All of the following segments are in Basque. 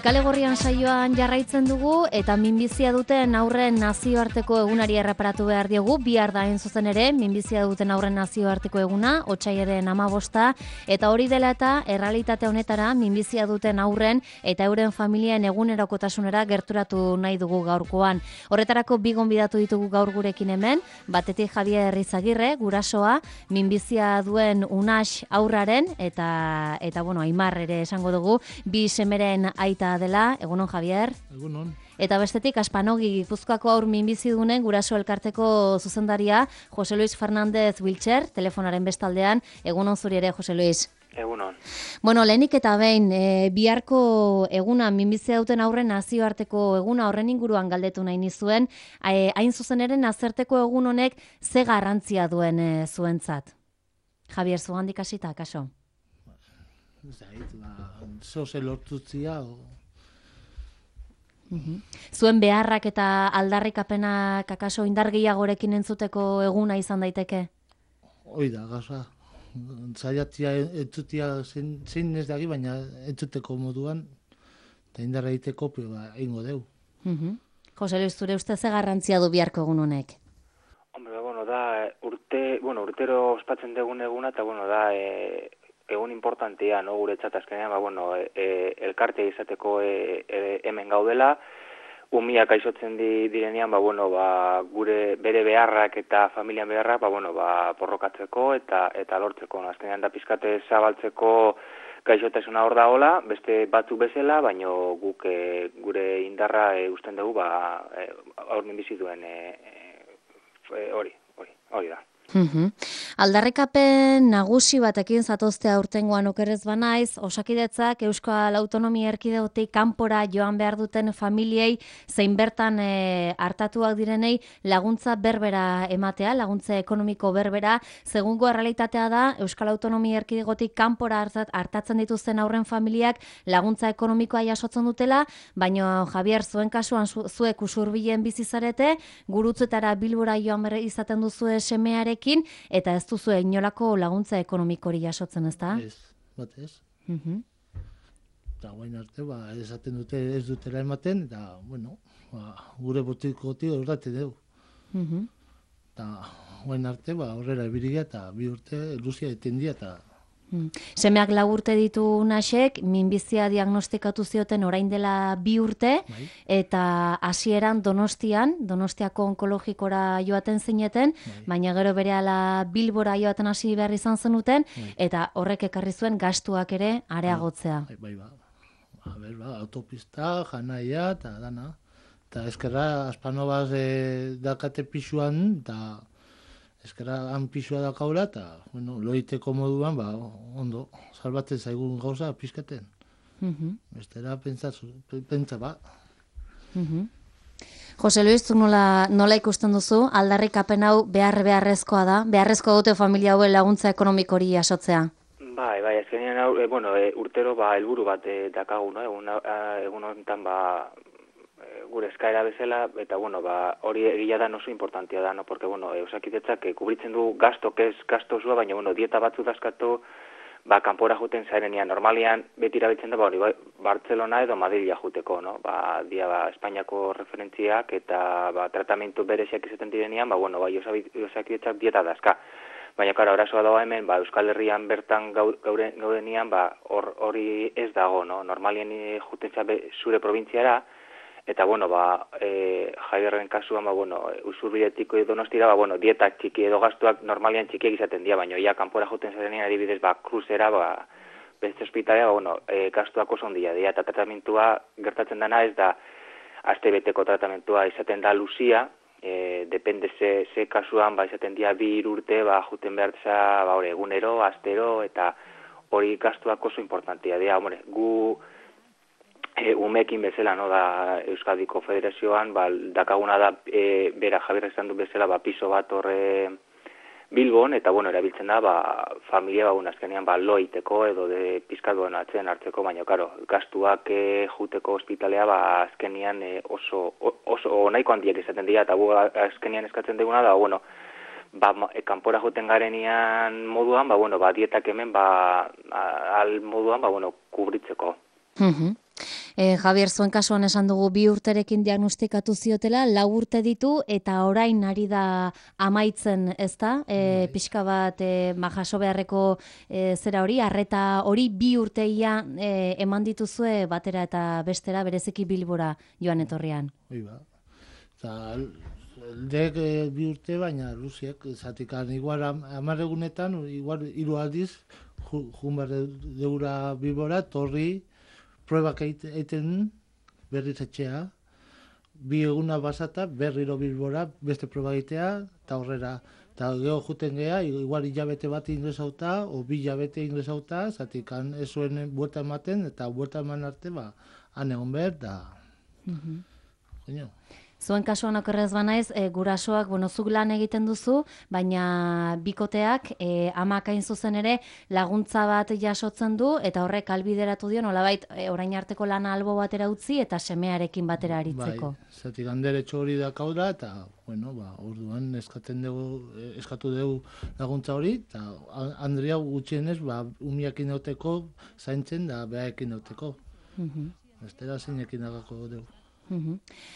Kale Gorrian saioan jarraitzen dugu eta minbizia duten aurren nazioarteko egunari erreparatu behar diogu. Bihar da hain zuzen ere minbizia duten aurren nazioarteko eguna, otsailaren 15 eta hori dela eta errealitate honetara minbizia duten aurren eta euren familien egunerokotasunera gerturatu nahi dugu gaurkoan. Horretarako bi gonbidatu ditugu gaur gurekin hemen, batetik Javier Izagirre, gurasoa, minbizia duen Unax aurraren eta Aimar ere esango dugu, bi semeren aita dela. Egunon, Javier. Egunon. Eta bestetik Aspanogi Gipuzkoako aur minbizidunen guraso elkarteko zuzendaria Jose Luis Fernández Wiltxer, telefonaren bestaldean. Egunon zuri ere, Jose Luis. Egunon. Bueno, lehenik eta behin, biharko eguna minbizia duten aurren nazioarteko eguna horren inguruan galdetu nahi nizuen, hain zuzen ere nazarteko egun honek ze garrantzia duen zuentzat. Javier, zugandik hasita, kaso? Zoze lortutzia. Zuen beharrak eta aldarrikapenak akaso indar gehiagorekin entzuteko eguna izan daiteke? Hoi da, gaza. Zaiatia entzutia zein ez dagi, baina entzuteko moduan, eta indarra egiteko egingo deu. Jose Luis, zure uste ze garrantzia du biharko egun honek? Hombre, da urtero ospatzen dugun eguna, eta da egun importantea, no, guretzat azkenean, elkartea izateko hemen gaudela, umiak aizotzen direnean, gure bere beharrak eta familian beharrak, porrokatzeko eta lortzeko. Azkenean da pizkate zabaltzeko gaixotasuna hor dagoela, beste batzuk bezala, baino guk gure indarra usten dugu, aur minbizi duen hori da. Aldarrikapen nagusi batekin zatoztea urtengoan okerrez banaiz, Osakidetzak Euskal Autonomia Erkidegotik kanpora joan behar duten familiei zein bertan hartatuak direnei laguntza berbera ematea, laguntza ekonomiko berbera. Segungo errealitatea da Euskal Autonomia Erkidegotik kanpora hartatzen dituzten aurren familiak laguntza ekonomikoa jasotzen dutela, baina Javier, zuen kasuan zuek Usurbilen bizi zarete, Gurutzetara Bilbora joan behar izaten duzue semearekin, eta ez duzu inolako laguntza ekonomikori jasotzen, ezta? Ez, batez. Eta guain arte, esaten dute ez dutela ematen, eta, gure botikotik horretate dugu. Eta guain arte, horrela ebiriga, eta bi urte luzia etendia, eta... Semeak 4 urte ditu Unaxek, minbizia diagnostikatu zioten orain dela 2 urte, eta hasieran Donostiako onkologikora joaten zineten, baina gero berehala Bilbora joaten hasi behar izan zenuten, eta horrek ekarri zuen gastuak ere areagotzea. Autopista, janaia, eta dana. Eta eskerra, Aspanobaz dakate pisuan, eta... Ezkera han pisua dakaula eta, loiteko moduan, ondo, salbatzen zaigun gauza pizkaten. Bestera pentsa ba. Jose Luis, nola ikusten duzu, aldarrikapen hau beharrezkoa da? Beharrezkoa dute familia hauen laguntza ekonomikori jasotzea? Bai, azkenean hau, urtero helburu bat dakagu, egun honetan gure eskaera bezala, eta hori egia da oso importantia da, porque Osakidetzak kubritzen du gasto zua, baina dieta batzu dazkatu, kanpora juten zairenean. Normalian beti erabiltzen da hori Bartzelona edo Madrila juteko, dia Espainiako referentziak eta tratamentu bereziak izaten direnean, Osakidetzak dieta dazka. Baina, arazoa dago hemen, Euskal Herrian bertan gaudenean, hori ez dago, normalien juten zure probintziara, eta, Javierren kasuan, Usurbiletik Donostira, dietak txiki edo gastuak normalian txikiak izaten dira, baina ia kanpora juten zarenean adibidez, kruzera, beste ospitalea, gastuak oso ondia dira, eta tratamentua gertatzen dena ez da, astebeteko tratamentua izaten da luzia, depende ze kasuan, izaten dira 2 urte, juten behar egunero, astero, eta hori gastuak oso importantia dira, gu... umekin bezala, da Euskadiko Federazioan, dakaguna da, bera Javier esan du bezala, piso bat horre Bilbon, eta erabiltzen da, familia azkenean loiteko edo de pizkatuen atzen hartzeko, baina, gastuak juteko ospitalea, azkenean oso nahiko handiak izaten dira, eta azkenean eskatzen duguna da, kanpora juten garenean moduan, dietak hemen, al moduan, kubritzeko. Javier, zuen kasuan esan dugu 2 urterekin diagnostikatu ziotela, 4 urte ditu eta orain ari da amaitzen, ezta? Pixka bat jaso beharreko zera hori, arreta hori 2 urteia eman dituzue batera eta bestera, bereziki Bilbora joan etorrian. Hoi ba. Eta dek 2 urte, baina luziek, zatikan igual 10 egunetan, igual 3 aldiz, jun behar deura Bilbora, torri, pruebak egiten berriz etxea, 2 eguna basata, berriro Bilbora, beste proba egitea, eta horrera. Eta geho juten geha, igual hilabete bat ingresauta, o 2 hilabete ingresauta, zatik ez zuen buelta ematen, eta buelta eman arte, han egon behar, eta... Zuen kasuan okerrez banaiz, gurasoak, zuk lan egiten duzu, baina bikoteak amak hain zuzen ere laguntza bat jasotzen du, eta horrek albideratu dio, nolabait orain arteko lana albo batera utzi, eta semearekin batera aritzeko. Bai, zatik handeretxo hori dakau da, eta, orduan eskatu dugu laguntza hori, eta Andrea gutxienez, umiakin dauteko zaintzen da behaekin dauteko. Estera zeinekin dagako dugu.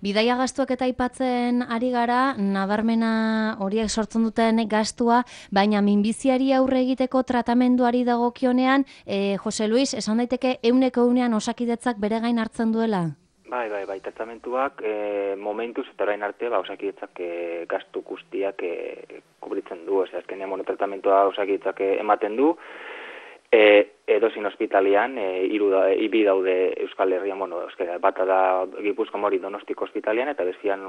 Bidaia gastuak eta aipatzen ari gara, nabarmena horiek sortzen duten gastua, baina minbiziari aurre egiteko tratamenduari dagokionean, Jose Luis, esan daiteke 100% Osakidetzak bere gain hartzen duela? Bai, tratamentuak momentuz eta orain arte Osakidetzak gastu guztiak kubritzen du, azkenean tratamentua Osakidetzak ematen du, edozein ospitalian, 2 daude Euskal Herrian, bata da Gipuzko Mori Donostiko ospitalian, eta bestian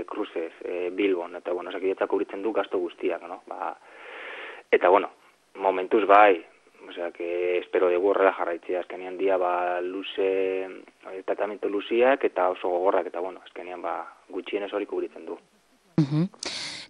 Kruzez, Bilbon, eta Osakidetzak kubritzen du gasto guztiak, Eta, momentuz bai, espero dugu horrela jarraitzea, azkenean dia tratamentu luziak eta oso gogorrak, eta azkenean gutxienez hori kubritzen du.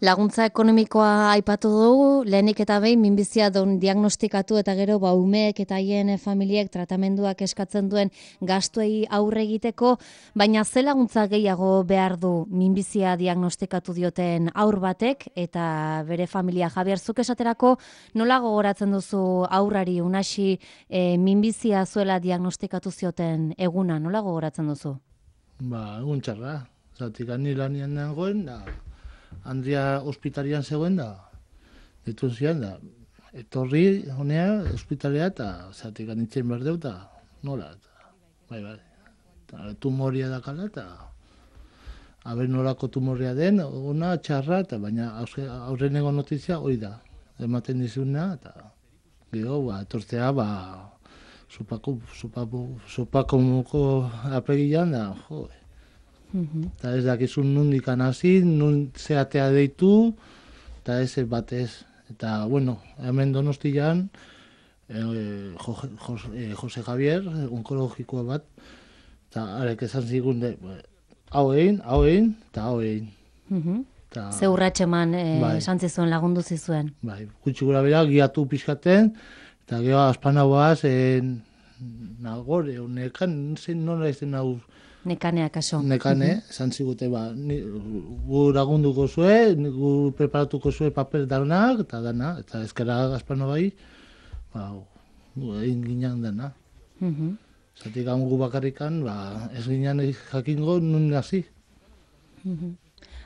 Laguntza ekonomikoa aipatu dugu, lehenik eta behin minbizia diagnostikatu eta gero umeek eta haien familiek tratamenduak eskatzen duen gastuei aurre egiteko, baina ze laguntza gehiago behar du minbizia diagnostikatu dioten haur batek eta bere familia. Javier, zuk esaterako nola gogoratzen duzu haurrari Unasi minbizia zuela diagnostikatu zioten eguna, nola gogoratzen duzu? Egun txarra, zatik ni lanian nagoen, Andrea ospitalian zegoen dituen zian etorri honea ospitalea eta zatik anitzen behar deu eta nola, tumoria dakala eta haber nolako tumoria den, ona txarra, eta baina aurreneko notizia hori da, ematen dizuna eta gero, etortzea, supako apegian da, eta ez dakizun nundik hasi, nun zeatea deitu, eta ez batez. Eta, hemen Donostian, Jose Javier, onkologikoa bat, eta arek esan zigun, hau egin, eta hau egin. Ze urratxeman esan zizuen, lagundu zizuen. Bai, gutxi gura bera, giatu pixkaten, eta gero aspanauaz, nagore, nekan, nola izan hau, Nekanea kaso. Nekane, esan zigute, gu lagunduko zue, gu preparatuko zue papel danak, eta ezkera Gaspano bai, egin ginen dana. Zatik gu bakarrikan, ez ginen jakingo nun hasi.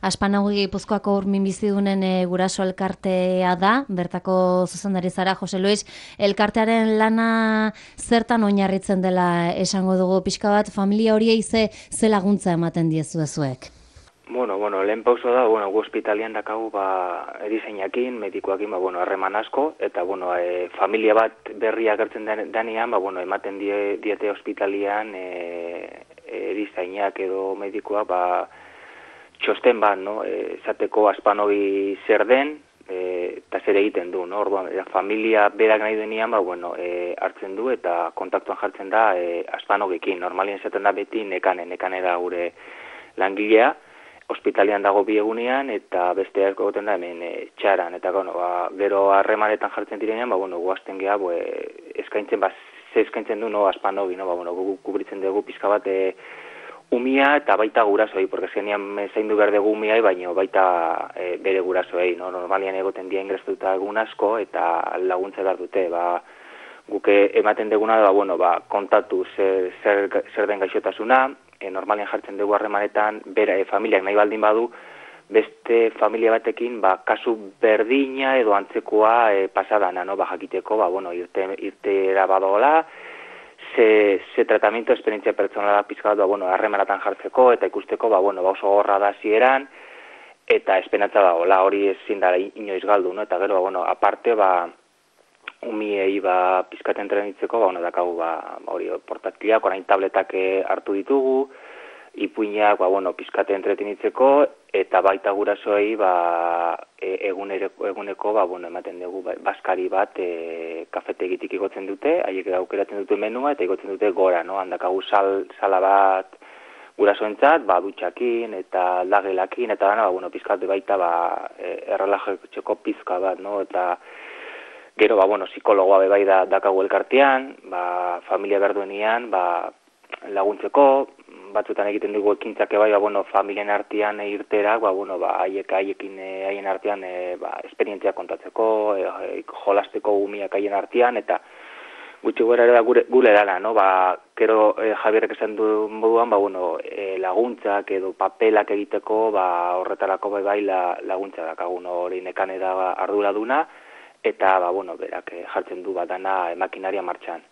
Aspanaui Gipuzkoako minbizidunen guraso elkartea da, bertako zuzendari zara, Jose Luis, elkartearen lana zertan oinarritzen dela esango dugu pixka bat, familia horiei ze laguntza ematen diezuezuek? Lehen pauso da, gu ospitalian dakagu erizainakin, medikoakin, harreman asko, eta familia bat berria gertzen denean, ematen diete ospitalian erizainak edo medikoa, txosten bat, esateko Aspanoi zer den, eta zer egiten du, orduan, familia berak nahi denean, hartzen du eta kontaktuan jartzen da Aspanogekin. Normalien esaten da beti nekane da gure langilea, ospitalian dago 2 egunean, eta beste asko goten da hemen txaran, eta gero harremanetan jartzen direnean, guazten geha, eskaintzen du Aspanogi, kubritzen dugu pizka bat umia eta baita gurasoei, porque zenean zaindu behar dugu umiai, baina baita bere gurasoei, Normalian egoten dia ingrestuta egun asko, eta laguntza behar dute, guk ematen deguna da, bueno, kontatu zer den gaixotasuna, normalian jartzen dugu harremanetan, familiak nahi baldin badu, beste familia batekin, kasu berdina edo antzekoa pasadana, no? Jakiteko, bueno, irtera badola, ze tratamiento esperientzia pertsonala pizka bat, bueno, harremanatan jartzeko, eta ikusteko, bueno, oso gorra da zieran, eta esperantza dagoela, hori ezin da inoiz galdu, no? Eta gero, bueno, aparte, umiei pizkat entrenitzeko, bueno, dakagu, hori portatilak, orain tabletak hartu ditugu, ipuinak, bueno, pizkate entretenitzeko, eta baita gurasoei, eguneko, bueno, ematen dugu, baskari bat, kafetegitik igotzen dute, haiek aukeratzen dute menua, eta igotzen dute gora, no? Handakagu sala bat gurasoentzat, dutxakin, eta aldagelakin, eta dana, bueno, pizkate baita, errelajatzeko pizka bat, no? Eta gero, bueno, psikologoa bai dakagu elkartean, familia berduenian, laguntzeko, batzutan egiten dugu ekintzak bai, bueno, familien artean irtera, bueno, haiekin haien artean esperientzia kontatzeko, jolasteko umiak haien artean, eta gutxi gara ere gure dala, no? Gero Javierrek esan du moduan, bueno, laguntzak edo papelak egiteko, horretarako bai laguntza dakagu, hori nekane da arduraduna, eta, bueno, berak jartzen du dana makinaria martxan.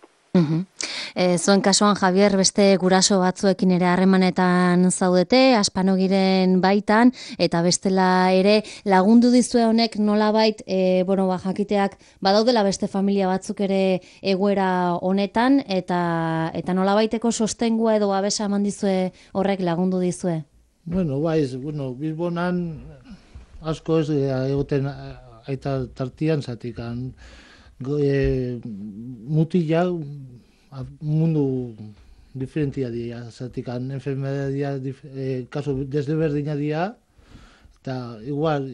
Zuen kasuan, Javier, beste guraso batzuekin ere harremanetan zaudete, Aspanogiren baitan, eta bestela ere lagundu dizue honek nolabait, bueno, jakiteak badaudela beste familia batzuk ere egoera honetan, eta nolabaiteko sostengua edo babesa eman dizue horrek lagundu dizue? Bueno, Bilbonan asko ez egoten aita tartian zatikan mutila mundu diferentia dira, zatikan enfermedadia kaso desberdina dira, eta igual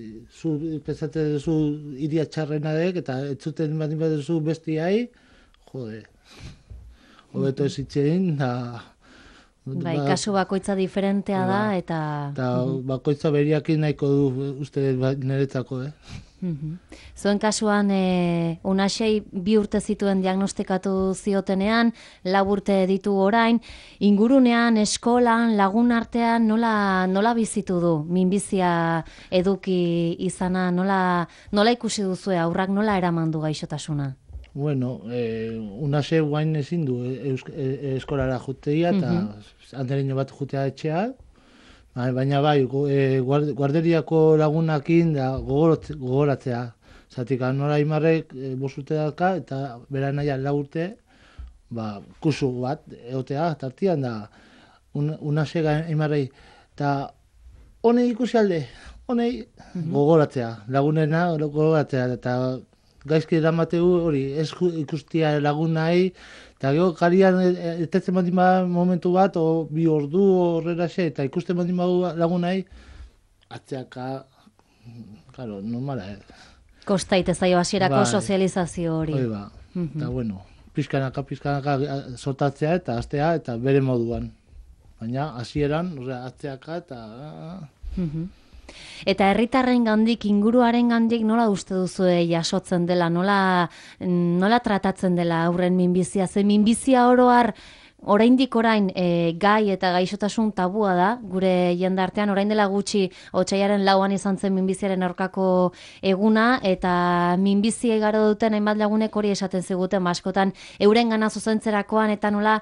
pensate duzu iria txarrenadek, eta etzuten badin baduzu bestiai, hobeto ez itxein, kasu bakoitza diferentea da, eta bakoitza beriakin nahiko du uste niretzako, Zuen kasuan, Unasei 2 urte zituen diagnostikatu ziotenean, 4 urte ditu orain, ingurunean, eskolan, lagun artean, nola bizitu du? Minbizia eduki izana, nola ikusi duzue, aurrak nola eraman du gaixotasuna? Bueno, Unasei guain ezin du eskolara jutea, eta andereño bat jutea etxea, baina guarderiako lagunakin da gogoratzea. Zatik, Nora Imarrek 5 urte daka, eta bera naia 4 urte, kusu bat egotea, tartian da, Unasega Imarrei. Eta honei ikusi alde, honei gogoratzea, lagunena gogoratzea, eta gaizki eramategu hori, ez ikustia lagunai, eta gero karian etetzen badin momentu bat, 2 ordu horrela xe, eta ikusten badin lagunai, atzeaka, claro, normala. Kostaite zaio hasierako sozializazio hori. Hori eta bueno, pizkanaka sortatzea eta astea, eta bere moduan. Baina hasieran, atzeaka eta... Eta herritarren gandik, inguruaren gandik, nola uste duzue jasotzen dela, nola tratatzen dela aurren minbizia? Ze minbizia oroar, oraindik orain gai eta gaixotasun tabua da, gure jendartean, orain dela gutxi otsailaren 4an izan zen minbiziaren aurkako eguna, eta minbizia igaro duten hainbat lagunek hori esaten ziguten, askotan euren gana zuzentzerakoan, eta nola,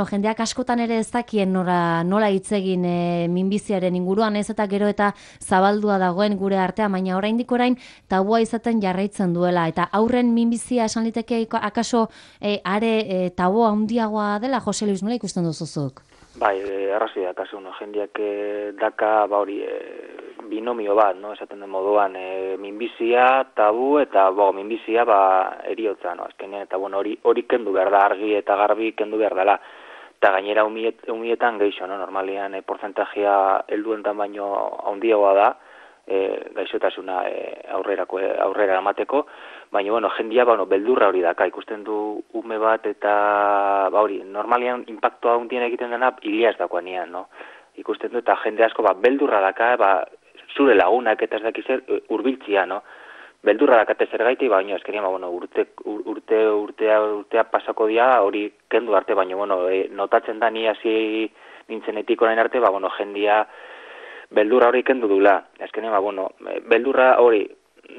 jendeak askotan ere ez dakien nola hitz egin minbiziaren inguruan, ez eta gero eta zabaldua dagoen gure artean, baina oraindik orain tabua izaten jarraitzen duela, eta aurren minbizia esan liteke akaso are tabua handiagoa dela. Jose Luis, nola ikusten duzuzuk? Bai, arrazoi da, kasu, jendeak daka, binomio bat, esaten den moduan, minbizia, tabu, eta minbizia, eriotza, azkenean, eta hori kendu behar da, argi eta garbi kendu behar dela, eta gainera umietan geixo, normalian, porzentajea helduentan baino handiagoa da, gaixotasuna aurrera amateko, baina, jendia, beldurra hori daka, ikusten du ume bat, eta, normalian, impactoa hundien egiten dena, hilia ez dakoan nian, ikusten du, eta jende asko, beldurra daka, zure lagunak, eta ez dakizer, urbiltzia, beldurra dakate zergaiti, baina eskenean, bueno, urtea pasako dia, hori kendu arte, baina, bueno, notatzen da ni hasi nintzenetik orain arte, bueno, jendia beldurra hori kendu dula. Eskenean, bueno, beldurra hori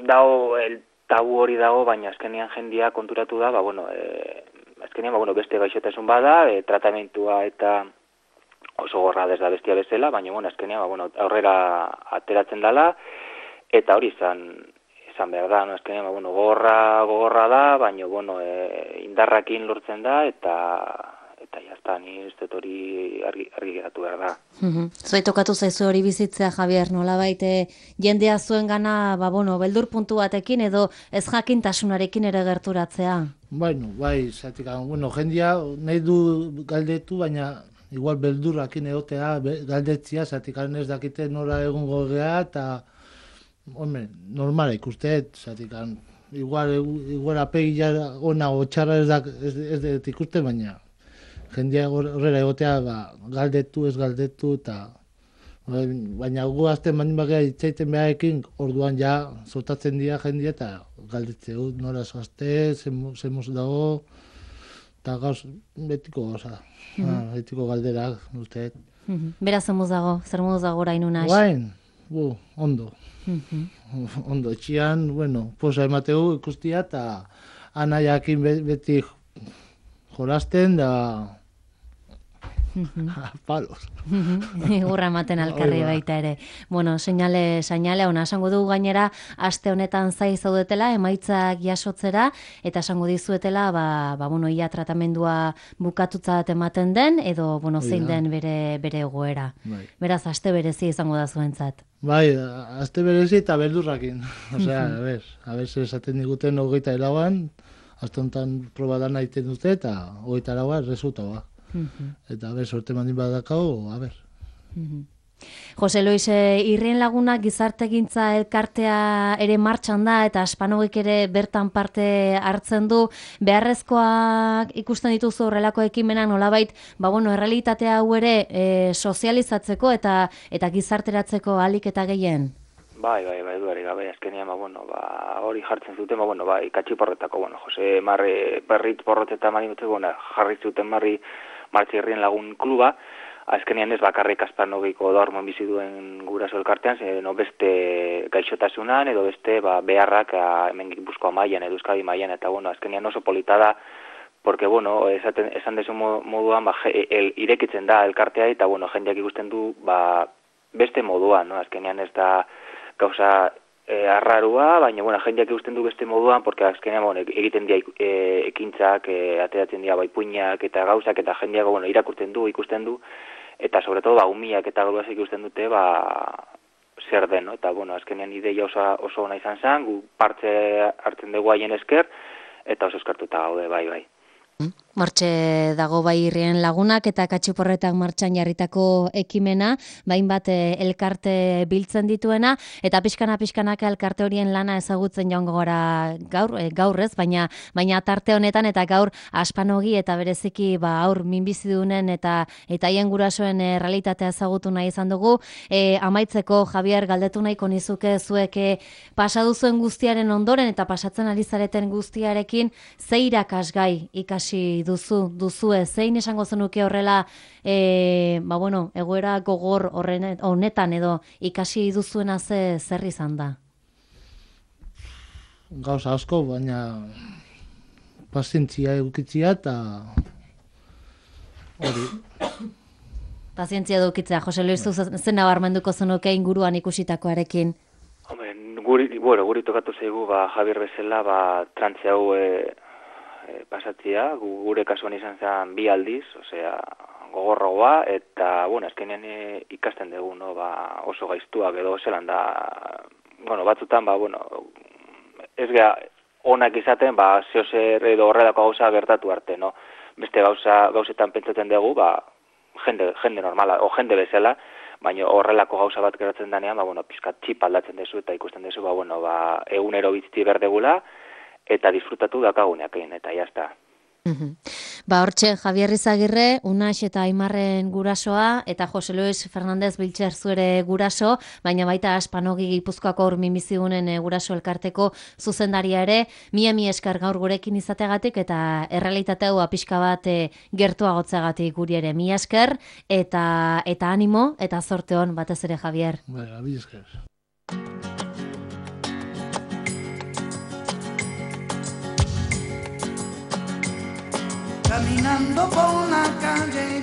dago, el tabu hori dago, baina eskenean jendia konturatu da, bueno, eskenean, bueno, beste gaixotasun bada, tratamentua eta oso gorra da bestia bezala, baina, bueno, eskenean, bueno, aurrera ateratzen dala, eta hori izan behar da, no, eskenean, bueno, gogorra da, baina, bueno, indarrakin lortzen da, eta jazta, ni ez dut hori argi geratu behar da. Zuei tokatu zaizu hori bizitzea, Javier, nolabait jendea zuen gana, bueno, beldur puntu batekin edo ez jakintasunarekin ere gerturatzea? Bueno, bai, zatik, bueno, jendia nahi du galdetu, baina igual beldurrakin egotea galdetzia, zatik, ez dakite nora egongo gea, eta hombre, normala ikusteet, zatik, igual apegia ona o txarra ez dut ikuste, baina jendia horrela egotea galdetu, ez galdetu, eta baina gu azten baldin bagea itzaiten beharekin, orduan ja zotatzen dira jendia, eta galdetze nora zoazte, zemos dago, eta gauz betiko gauza, betiko galderak, usteet. Bera zer moduz dago orain unaz? Guain, ondo. Ondo, etxian, bueno, posa emateu ikustia, eta anaiakin beti jolasten, da palos. Igurra ematen alkarri baita ere. Bueno, seinale ona esango dugu gainera, aste honetan zai zaudetela, emaitzak jasotzera, eta esango dizuetela, bueno, ia tratamendua bukatutzat ematen den, edo, bueno, zein den bere egoera. Beraz, aste berezi izango da zuentzat. Bai, aste berezi eta beldurrakin. Osea, a ber, esaten diguten 24an, aste honetan proba dana egiten dute, eta 24a resultaua. Eta, sorte mandin badakau, Jose Luis, Irrien Lagunak gizartegintza elkartea ere martxan da, eta Aspanogik ere bertan parte hartzen du. Beharrezkoak ikusten dituzu horrelako ekimenak nolabait, bueno, errealitatea hau ere sozializatzeko eta gizarteratzeko ahalik eta gehien? Bai, duari gabe, azkenean, hori jartzen zuten, ikatxi porretako, Jose Marri Berrit porroteta marimutzeko, jarri zuten Martxi Irrien Lagun kluba, azkenean ez bakarrik Aspanogiko dormoen bizi duen guraso elkartean, beste gaixotasunan edo beste beharrak hemen Gipuzkoa mailan edo Euskadi mailan, eta azkenean oso polita da, porque esan desu moduan irekitzen da elkartea, eta jendeak ikusten du beste moduan, azkenean ez da gauza arrarua, baina jendeak ikusten du beste moduan, porque azkenean egiten dira ekintzak, ateratzen dira puinak eta gauzak, eta jendeak irakurtzen du, ikusten du, eta sobre todo umiak eta gauzak ikusten dute zer den, eta azkenean ideia oso ona izan zen, gu partze hartzen dugu haien esker, eta oso eskartuta gaude, bai. Martxe dago bai Irrien Lagunak eta Katxiporretak martxan jarritako ekimena, bainbat elkarte biltzen dituena, eta pixkanak elkarte horien lana ezagutzen joango gara gaur ez, baina tarte honetan eta gaur Aspanogi eta bereziki aur minbizidunen eta haien gurasoen realitatea ezagutu nahi izan dugu. Amaitzeko, Javier, galdetu nahiko nizuke zuek pasaduzuen guztiaren ondoren eta pasatzen ari zareten guztiarekin, ze irakasgai ikasi duzue, zein esango zenuke horrela egoera gogor honetan edo ikasi duzuena zer izan da? Gauza asko, baina pazientzia edukitzia eta hori. Pazientzia edukitzea, Jose Luis, zen nabarmenduko zenuke inguruan ikusitakoarekin? Guri tokatu zaigu, Javier bezala, trantze hau pasatzea, gure kasuan izan zen 2 aldiz, osea, gogorroa, eta, azkenean ikasten dugu, oso gaiztuak edo zelan da, batzutan, ez geha onak izaten, zeozer edo horrelako gauza gertatu arte, beste gauzetan pentsatzen dugu, jende normala, o jende bezala, baina horrelako gauza bat geratzen denean, pizkat txip aldatzen dezu, eta ikusten dezu, egunero bizitzea berdegula, eta disfrutatu dakaguneak egin, eta jazta. Hortxe, Javier Izagirre, Unax eta Aimarren gurasoa, eta Jose Luis Fernandez Biltzer zuere guraso, baina baita Aspanogi Gipuzkoako Urmimizigunen guraso elkarteko zuzendaria ere, mi esker gaur gurekin izategatik, eta errealitate hau pixka bat gertuagotzeagatik guri ere mi esker, eta animo, eta zorte hon batez ere, Javier. Mi esker. Caminando por la calle